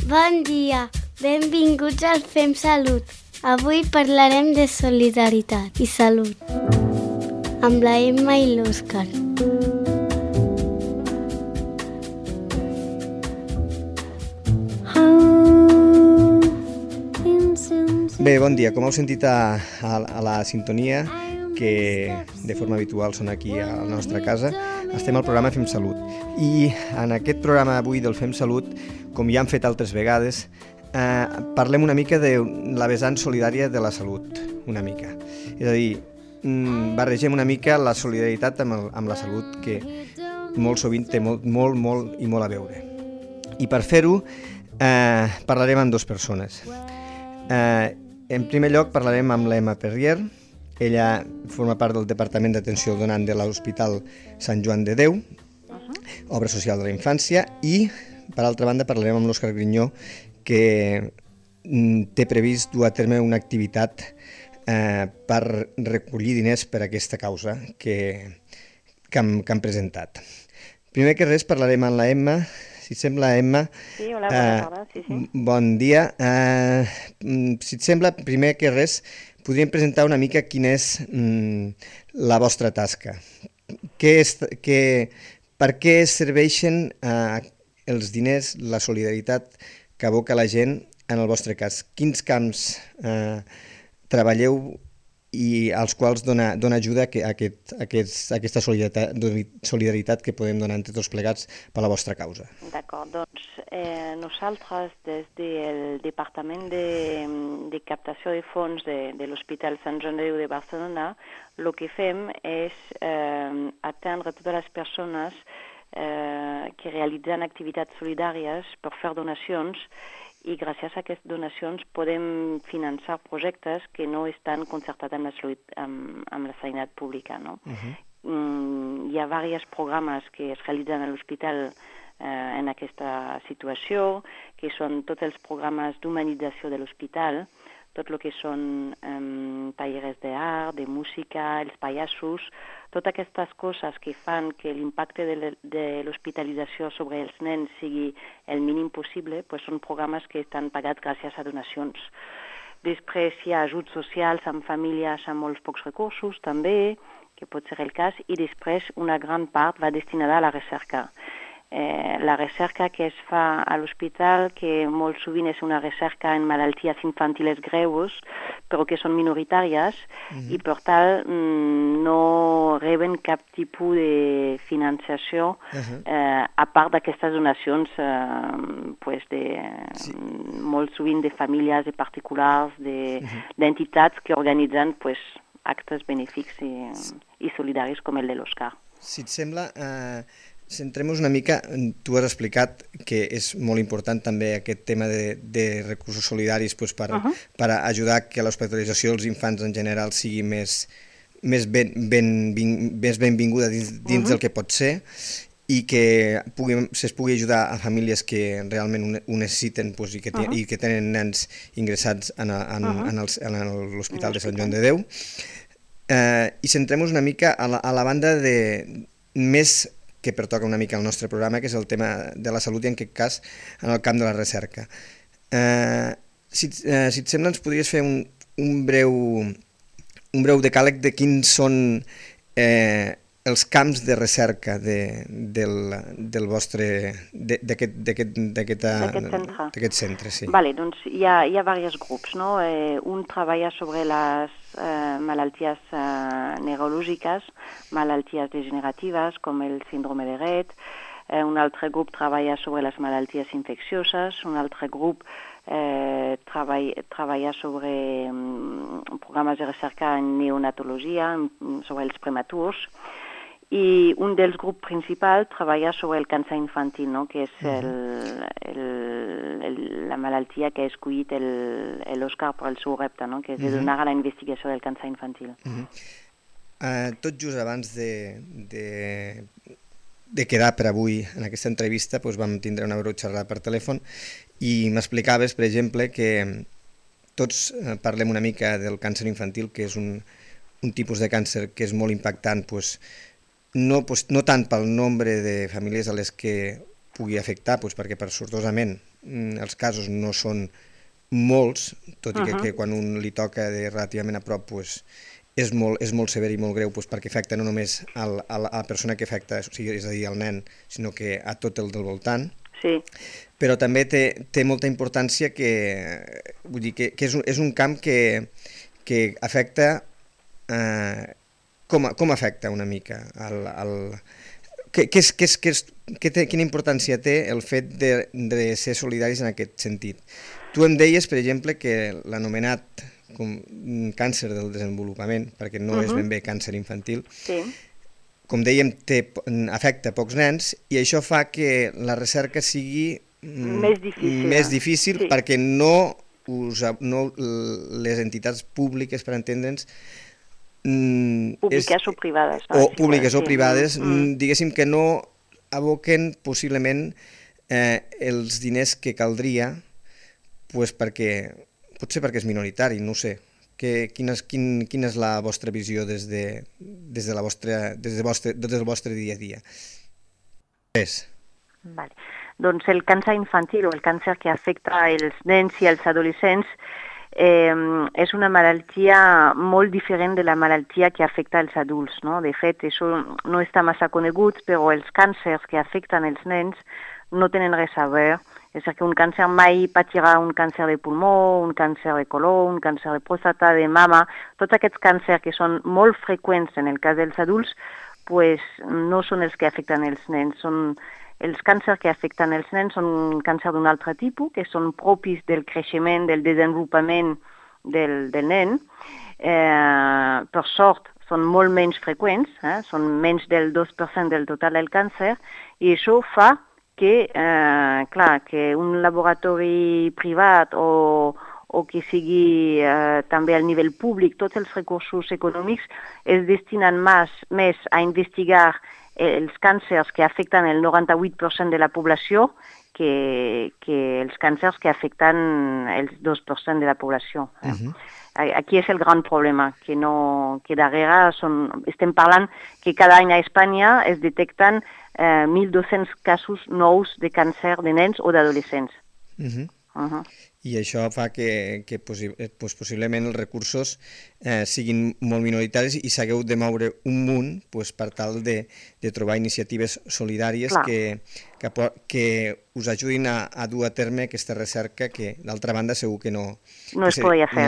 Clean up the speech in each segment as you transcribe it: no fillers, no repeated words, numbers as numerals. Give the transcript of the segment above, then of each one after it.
Bon dia, benvinguts al Fem Salut. Avui parlarem de solidaritat i salut amb la Emma i l'Òscar. Bé, bon dia. Com heu sentit a la sintonia, que de forma habitual són aquí a la nostra casa, estem al programa Fem Salut. I en aquest programa avui del Fem Salut, com ja hem fet altres vegades, parlem una mica de la vessant solidària de la salut, una mica. És a dir, barregem una mica la solidaritat amb la salut, que molt sovint té molt a veure. I per fer-ho parlarem amb dues persones. En primer lloc parlarem amb l'Emma Perrier. Ella forma part del Departament d'Atenció al Donant de l'Hospital Sant Joan de Déu, Obra Social de la Infància, i per altra banda parlarem amb l'Òscar Grinyó, que té previst dur a terme una activitat per recollir diners per a aquesta causa que han presentat. Primer que res parlarem amb la Emma. Si et sembla, Emma... Sí, hola, bona tarda, sí. Bon dia. Si et sembla, primer que res, podríem presentar una mica quina és la vostra tasca. Per què serveixen els diners, la solidaritat que aboca la gent en el vostre cas? Quins camps treballeu i als quals dona ajuda a aquesta solidaritat que podem donar entre tots plegats per la vostra causa? D'acord, doncs nosaltres des del Departament de Captació de Fons de l'Hospital Sant Joan de Déu de Barcelona, el que fem és atendre totes les persones que realitzen activitats solidàries per fer donacions, i gràcies a aquestes donacions podem finançar projectes que no estan concertats amb la sanitat pública. No? Hi ha diversos programes que es realitzen a l'hospital en aquesta situació, que són tots els programes d'humanització de l'hospital, tot el que són tallers d'art, de música, els pallassos, totes aquestes coses que fan que l'impacte de l'hospitalització sobre els nens sigui el mínim possible, són programes que estan pagats gràcies a donacions. Després hi ha ajuts socials amb famílies amb molts pocs recursos també, que pot ser el cas, i després una gran part va destinada a la recerca. La recerca que es fa a l'hospital, que molt sovint és una recerca en malalties infantiles greus, però que són minoritàries, i per tal no reben cap tipus de finançació a part d'aquestes donacions molt sovint de famílies, de particulars, d'entitats que organitzen actes benéfics i solidaris com el de l'Òscar. Si et sembla, centrem-nos una mica, tu has explicat que és molt important també aquest tema de recursos solidaris per ajudar que l'hospitalització dels infants en general sigui més benvinguda dins del que pot ser, i que es pugui ajudar a famílies que realment ho necessiten i que tenen nens ingressats en l'Hospital de Sant Joan de Déu. I centrem-nos una mica a la banda més que pertoca una mica al nostre programa, que és el tema de la salut i en aquest cas en el camp de la recerca. Si et sembla, ens podries fer un breu decàleg de quins són els camps de recerca d'aquest centre. Sí. Vale, doncs hi ha diversos grups, no? Un treballa sobre les malalties neurològiques, malalties degeneratives com el síndrome de Rett, un altre grup treballa sobre les malalties infeccioses, un altre grup treballa sobre programes de recerca en neonatologia, sobre els prematurs, i un dels grups principals treballa sobre el càncer infantil, no? Que és la malaltia que ha escollit l'Òscar per al seu repte, no? Que és de donar a la investigació del càncer infantil. Tot just abans de quedar per avui en aquesta entrevista vam tindre una breu xerrada per telèfon i m'explicaves, per exemple, que tots parlem una mica del càncer infantil, que és un tipus de càncer que és molt impactant, no tant pel nombre de famílies a les que pugui afectar, perquè sortosament els casos no són molts, tot i que quan un li toca de relativament a prop pues, és molt sever i molt greu pues, perquè afecta no només a la persona que afecta, o sigui, és a dir, al nen, sinó que a tot el del voltant. Sí. Però també té molta importància vull dir, que és un camp que afecta... Com afecta una mica? Quina importància té el fet de ser solidaris en aquest sentit? Tu em deies, per exemple, que l'anomenat càncer del desenvolupament, perquè no és ben bé càncer infantil, com dèiem, afecta pocs nens i això fa que la recerca sigui més difícil perquè no les entitats públiques, per entendre'ns, públiques o privades. Públiques o privades, diguéssim que no aboquen possiblement els diners que caldria, potser perquè és minoritari, no ho sé. Quina és la vostra visió des del vostre dia a dia? Vale. Doncs el càncer infantil o el càncer que afecta els nens i els adolescents és una malaltia molt diferent de la malaltia que afecta els adults, no? De fet, això no està massa conegut, però els càncers que afecten els nens no tenen res a veure. És a dir, que un càncer mai patirà un càncer de pulmó, un càncer de colon, un càncer de pròstata, de mama. Tots aquests càncers que són molt freqüents en el cas dels adults, pues, no són els que afecten els nens. Els càncers que afecten els nens són càncer d'un altre tipus, que són propis del creixement, del desenvolupament del nen. Per sort, són molt menys freqüents, són menys del 2% del total del càncer, i això fa que un laboratori privat o que sigui també al nivell públic, tots els recursos econòmics es destinen més a investigar els càncers que afecten el 98% de la població que els càncers que afecten el 2% de la població. Aquí és el gran problema, que darrere estem parlant que cada any a Espanya es detecten 1.200 casos nous de càncer de nens o d'adolescents. I això fa que possiblement els recursos siguin molt minoritaris i s'hagueu de moure un munt per tal de trobar iniciatives solidàries que us ajudin a dur a terme aquesta recerca que, d'altra banda, segur que no es podria fer.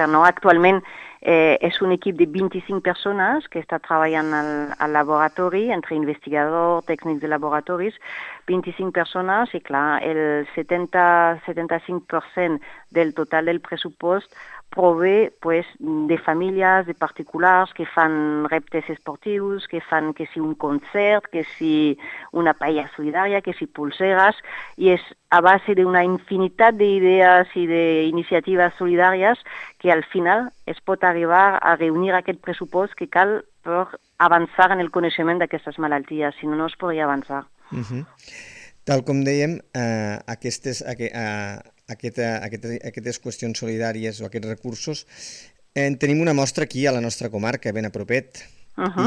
No. Actualment és un equip de 25 persones que està treballant al laboratori, entre investigadors, tècnics de laboratoris, 25 persones i, clar, el 70-75% del total del pressupost prové de famílies, de particulars que fan reptes esportius, que fan que si un concert, que si una paella solidària, que si pulseres, i és a base d'una infinitat d'idees i d'iniciatives solidàries que al final es pot arribar a reunir aquest pressupost que cal per avançar en el coneixement d'aquestes malalties, si no, no es podria avançar. Tal com dèiem, aquestes qüestions solidàries o aquests recursos, tenim una mostra aquí a la nostra comarca, ben a propet,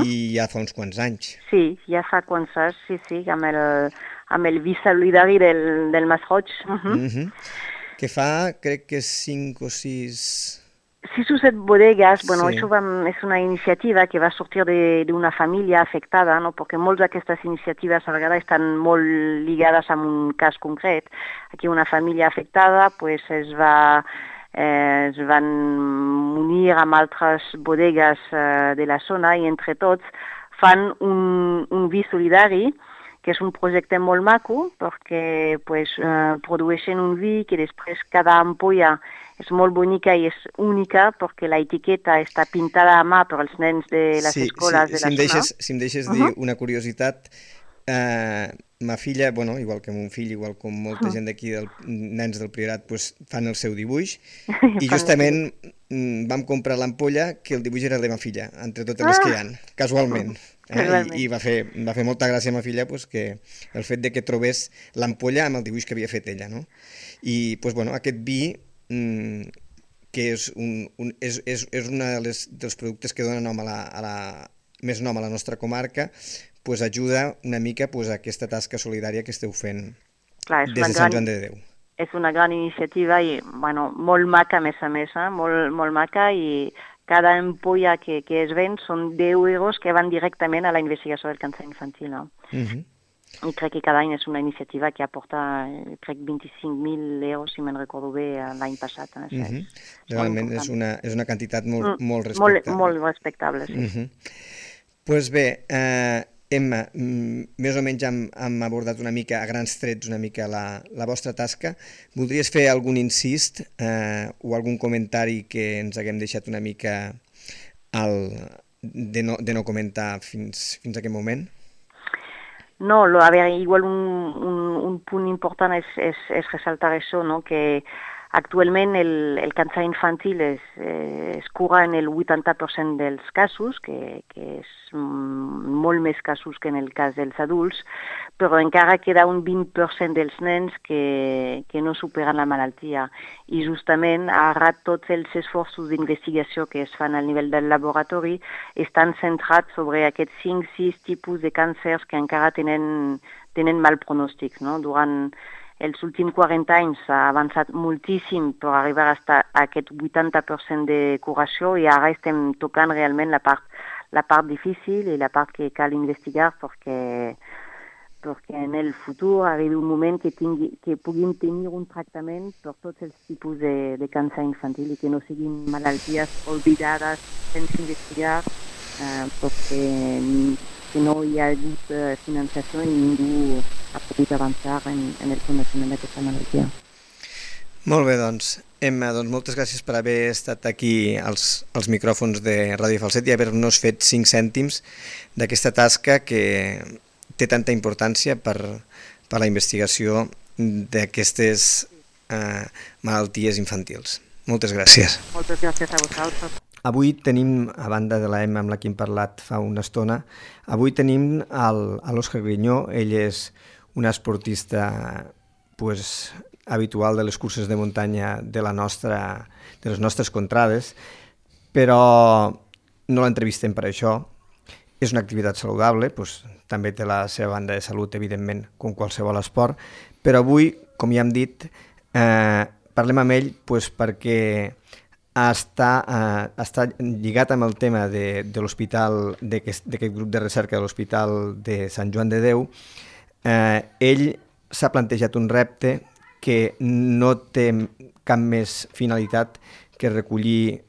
i ja fa uns quants anys. Sí, ja fa quants anys, sí, amb el vi solidari del Masroig. Que fa, crec que 5 o 6... 6 o 7 bodegues, això és una iniciativa que va sortir d'una família afectada, no? Perquè moltes d'aquestes iniciatives a vegades estan molt lligades amb un cas concret. Aquí una família afectada es van unir amb altres bodegues de la zona i entre tots fan un vi solidari, que és un projecte molt maco perquè produeixen un vi que després cada ampolla és molt bonica i és única perquè l'etiqueta està pintada a mà per als nens de les escoles de la zona. Si em deixes dir una curiositat, ma filla, igual que mon fill, igual com molta gent d'aquí, nens del Priorat, fan el seu dibuix i justament vam comprar l'ampolla que el dibuix era de ma filla, entre totes les que hi ha, casualment. I va fer molta gràcia a ma filla que el fet de que trobés l'ampolla amb el dibuix que havia fet ella. I aquest vi, que és un dels productes que dona més nom a la nostra comarca, ajuda una mica a aquesta tasca solidària que esteu fent Clar, des de Sant Joan de Déu. És una gran iniciativa i molt maca, a més, molt maca, i cada ampolla que es ven són 10 euros que van directament a la investigació del càncer infantil. No? I crec que cada any és una iniciativa que aporta, crec, 25.000 euros, si me'n recordo bé, l'any passat. Realment és una quantitat molt respectable. Molt respectable, sí. Doncs bé, Emma, més o menys hem abordat una mica, a grans trets, una mica la vostra tasca. Voldries fer algun incís o algun comentari que ens haguem deixat una mica de no comentar fins a aquest moment? No, a ver, igual un punt important és ressaltar això, no? Que actualment el càncer infantil es cura en el 80% dels casos, que és molt més casos que en el cas dels adults, però encara queda un 20% dels nens que no superen la malaltia. I justament ara tots els esforços d'investigació que es fan al nivell del laboratori estan centrats sobre aquests 5-6 tipus de càncers que encara tenen mal pronòstic. No? Durant els últims 40 anys s'ha avançat moltíssim per arribar a aquest 80% de curació i ara estem tocant realment la part difícil i la part que cal investigar perquè en el futur arribi un moment que puguin tenir un tractament per tots els tipus de càncer infantil i que no siguin malalties oblidades sense investigar perquè no hi ha hagut finançació i ningú ha pogut avançar en el coneixement d'aquesta malaltia. Molt bé, doncs. Emma, moltes gràcies per haver estat aquí als micròfons de Ràdio Falset i haver-nos fet 5 cèntims d'aquesta tasca que té tanta importància per la investigació d'aquestes malalties infantils. Moltes gràcies. Moltes gràcies a vosaltres. Avui tenim, a banda de la Emma amb la que hem parlat fa una estona, avui tenim l'Òscar Grinyó. Ell és un esportista habitual de les curses de muntanya de les nostres contrades, però no l'entrevistem per això. És una activitat saludable, també té la seva banda de salut, evidentment, com qualsevol esport, però avui, com ja hem dit, parlem amb ell perquè està lligat amb el tema de l'hospital, d'aquest grup de recerca de l'Hospital de Sant Joan de Déu. Ell s'ha plantejat un repte que no té cap més finalitat que recollir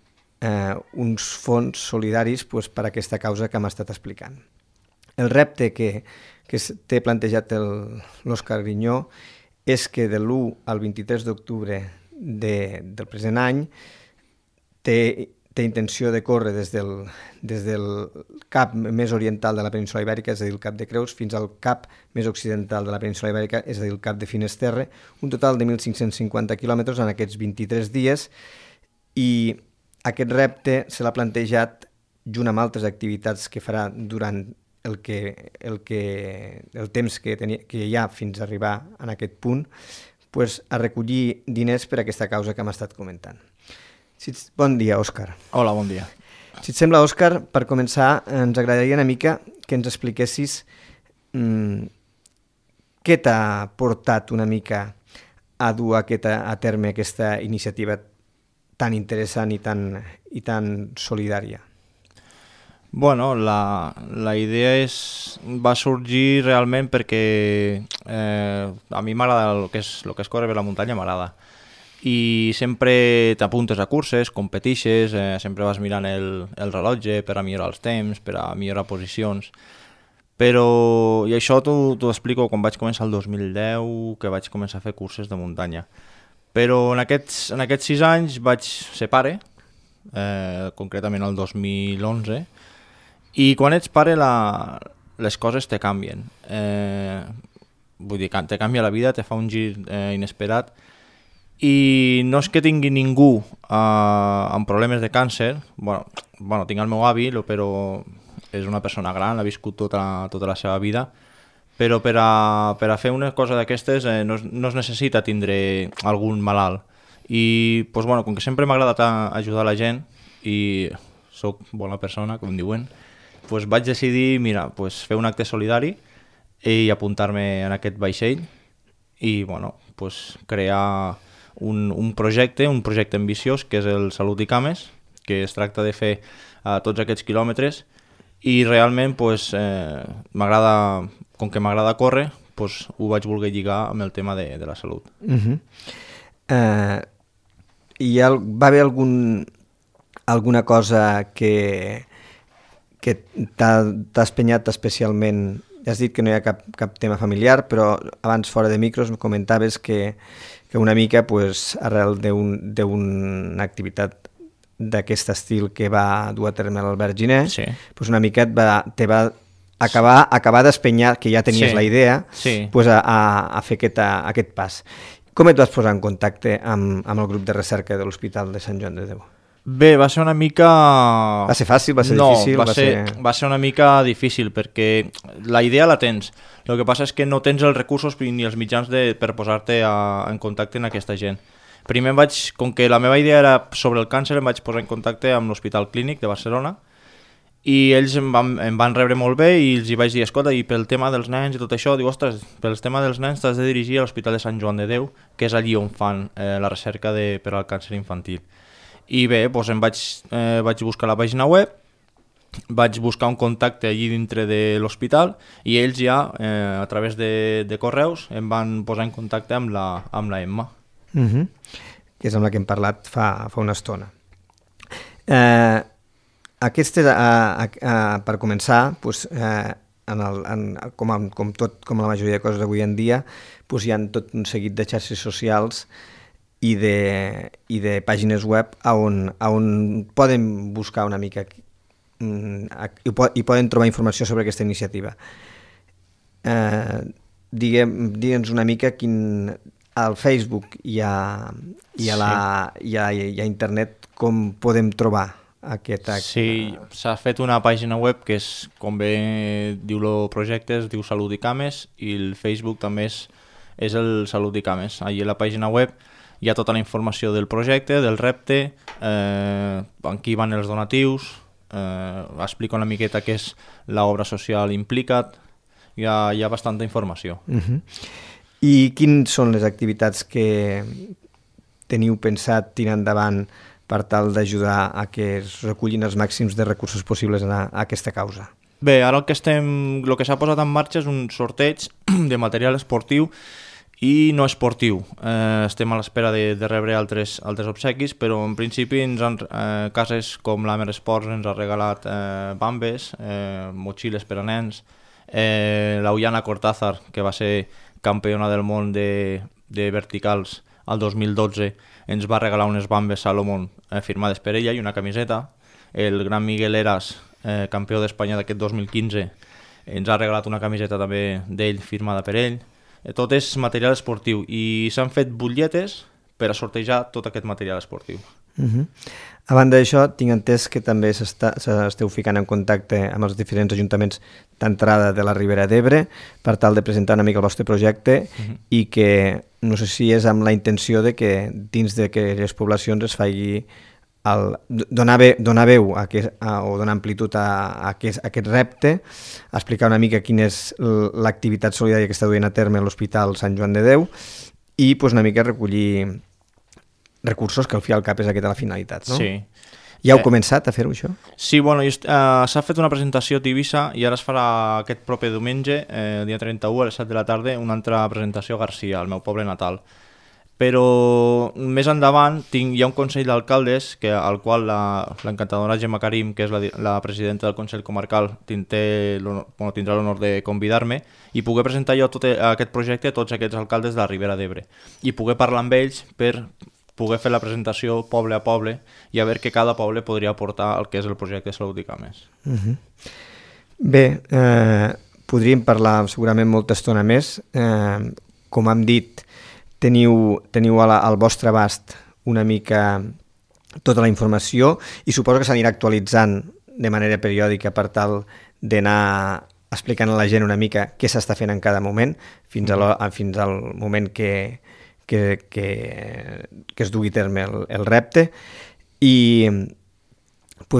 uns fons solidaris per a aquesta causa que hem estat explicant. El repte que té plantejat l'Òscar Grinyó és que de l'1 al 23 d'octubre del present any té intenció de córrer des del cap més oriental de la península Ibèrica, és a dir, el Cap de Creus, fins al cap més occidental de la península Ibèrica, és a dir, el Cap de Finisterre, un total de 1.550 quilòmetres en aquests 23 dies, i aquest repte se l'ha plantejat junt amb altres activitats que farà durant el temps que hi ha fins a arribar a aquest punt, a recollir diners per a aquesta causa que hem estat comentant. Bon dia, Òscar. Hola, bon dia. Si et sembla, Òscar, per començar, ens agradaria una mica que ens expliquessis què t'ha portat una mica a dur a terme aquesta iniciativa tan interessant i tan solidària. Bueno, la idea va sorgir realment perquè a mi m'agrada el que és córrer per la muntanya, m'agrada. I sempre t'apuntes a curses, competixes, sempre vas mirant el rellotge per a millorar els temps, per a millorar posicions. Però, i això t'ho explico quan vaig començar el 2010, que vaig començar a fer curses de muntanya. Però en aquests 6 anys vaig ser pare, concretament el 2011, i quan ets pare les coses te canvien. Vull dir, te canvia la vida, te fa un gir inesperat, i no és que tingui ningú amb problemes de càncer, bueno, tinc el meu avi, però és una persona gran, ha viscut tota la seva vida, però per a fer una cosa d'aquestes no es necessita tindre algun malalt. I com que sempre m'ha agradat ajudar la gent i soc bona persona, com diuen, vaig decidir fer un acte solidari i apuntar-me en aquest vaixell. i bueno, pues, crear un projecte ambiciós que és el Salut i Cames, que es tracta de fer tots aquests quilòmetres i realment pues, m'agrada, com que m'agrada córrer, pues, ho vaig voler lligar amb el tema de la salut. Va haver alguna cosa que t'ha espenyat especialment? Ja has dit que no hi ha cap tema familiar, però abans fora de micros em comentaves que una mica, pues, arrel d'una activitat d'aquest estil que va dur a terme l'Albert Giner, Sí. pues una mica te va acabar d'espenyar, que ja tenies Sí. la idea, Sí. pues a fer aquest pas. Com et vas posar en contacte amb el grup de recerca de l'Hospital de Sant Joan de Déu? Bé, va ser una mica... Va ser fàcil? Va ser difícil? Va ser una mica difícil perquè la idea la tens. El que passa és que no tens els recursos ni els mitjans per posar-te en contacte amb aquesta gent. Primer com que la meva idea era sobre el càncer, em vaig posar en contacte amb l'Hospital Clínic de Barcelona i ells em van rebre molt bé i els hi vaig dir, escolta, i pel tema dels nens i tot això, diu, ostres, pel tema dels nens t'has de dirigir a l'Hospital de Sant Joan de Déu, que és allí on fan la recerca per al càncer infantil. I bé, doncs vaig buscar la pàgina web, vaig buscar un contacte allí dintre de l'hospital i ells ja, a través de correus, em van posar en contacte amb la Emma. Que és amb la que hem parlat fa una estona. Per començar, doncs, com la majoria de coses d'avui en dia, doncs hi ha tot un seguit de xarxes socials i de pàgines web on poden buscar una mica i poden trobar informació sobre aquesta iniciativa. Digue'ns una mica al Facebook i a internet com podem trobar aquest acte. Sí, s'ha fet una pàgina web que és, com bé diu el projecte, es diu Salut i Cames, i el Facebook també és el Salut i Cames. Allí a la pàgina web hi ha tota la informació del projecte, del repte, en qui van els donatius, explica una miqueta què és l'obra social Implica't, hi ha bastanta informació. I quines són les activitats que teniu pensat tirar endavant per tal d'ajudar a que es recullin els màxims de recursos possibles a aquesta causa? Bé, ara el que s'ha posat en marxa és un sorteig de material esportiu i no esportiu. Estem a l'espera de rebre altres obsequis, però en principi cases com l'Amer Esports ens ha regalat bambes, motxilles per a nens, l'Ullana Cortázar, que va ser campiona del món de verticals el 2012, ens va regalar unes bambes Salomon firmades per ella i una camiseta. El gran Miguel Eras, campió d'Espanya d'aquest 2015, ens ha regalat una camiseta també d'ell firmada per ell. Tot és material esportiu i s'han fet butlletes per a sortejar tot aquest material esportiu. A banda d'això, tinc entès que també s'esteu ficant en contacte amb els diferents ajuntaments d'entrada de la Ribera d'Ebre per tal de presentar una mica el vostre projecte i que no sé si és amb la intenció de que dins d'aquelles poblacions es faci donar veu o donar amplitud a aquest repte, explicar una mica quina és l'activitat solidària que està duent a terme a l'Hospital Sant Joan de Déu i una mica recollir recursos, que al fi al cap és aquesta la finalitat, no? Sí. Ja heu començat a fer-ho, això? Sí, bueno, s'ha fet una presentació a Tivissa i ara es farà aquest proper diumenge, dia 31 a les 7 de la tarda, una altra presentació a Garcia, al meu poble natal. Però més endavant hi ha un Consell d'Alcaldes al qual l'encantadora Gemma Karim, que és la presidenta del Consell Comarcal, tindrà l'honor de convidar-me i poder presentar jo tot aquest projecte a tots aquests alcaldes de la Ribera d'Ebre i poder parlar amb ells per poder fer la presentació poble a poble i a veure que cada poble podria aportar el que és el projecte Salut i Cames. Bé, podríem parlar segurament molta estona més. Com hem dit, teniu al vostre abast una mica tota la informació i suposo que s'anirà actualitzant de manera periòdica per tal d'anar explicant a la gent una mica què s'està fent en cada moment fins al moment que es dugui a terme el repte. I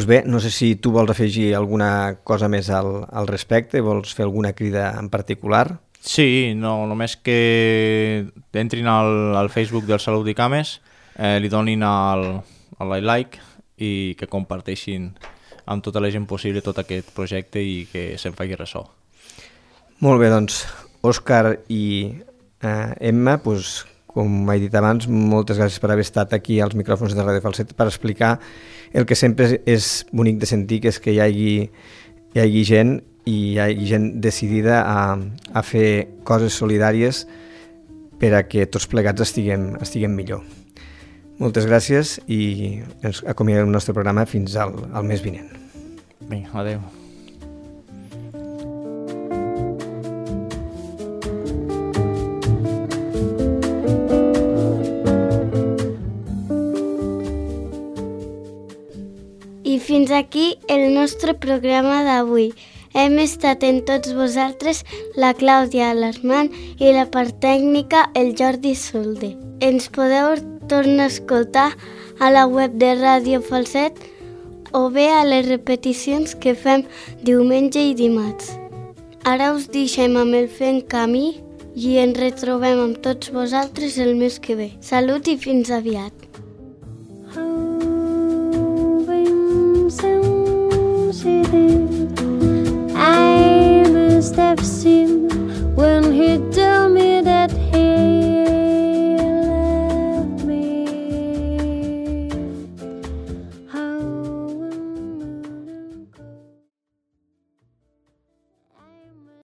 bé, no sé si tu vols afegir alguna cosa més al respecte, vols fer alguna crida en particular? Sí, no, només que entrin al Facebook del Salut i Cames, li donin al like i que comparteixin amb tota la gent possible tot aquest projecte i que se'n faci ressò. Molt bé, doncs, Òscar i Emma, doncs, com he dit abans, moltes gràcies per haver estat aquí als micròfons de Ràdio Falset per explicar el que sempre és bonic de sentir, que és que hi hagi gent i hi hagi gent decidida a fer coses solidàries per a que tots plegats estiguem millor. Moltes gràcies i ens acomiadem el nostre programa fins al mes vinent. Vinga, adeu. I fins aquí el nostre programa d'avui. Hem estat en tots vosaltres la Clàudia Alarmant i la part tècnica el Jordi Solde. Ens podeu tornar a escoltar a la web de Ràdio Falset o bé a les repeticions que fem diumenge i dimarts. Ara us deixem amb el Fent Camí i ens retrobem amb tots vosaltres el mes que ve. Salut i fins aviat!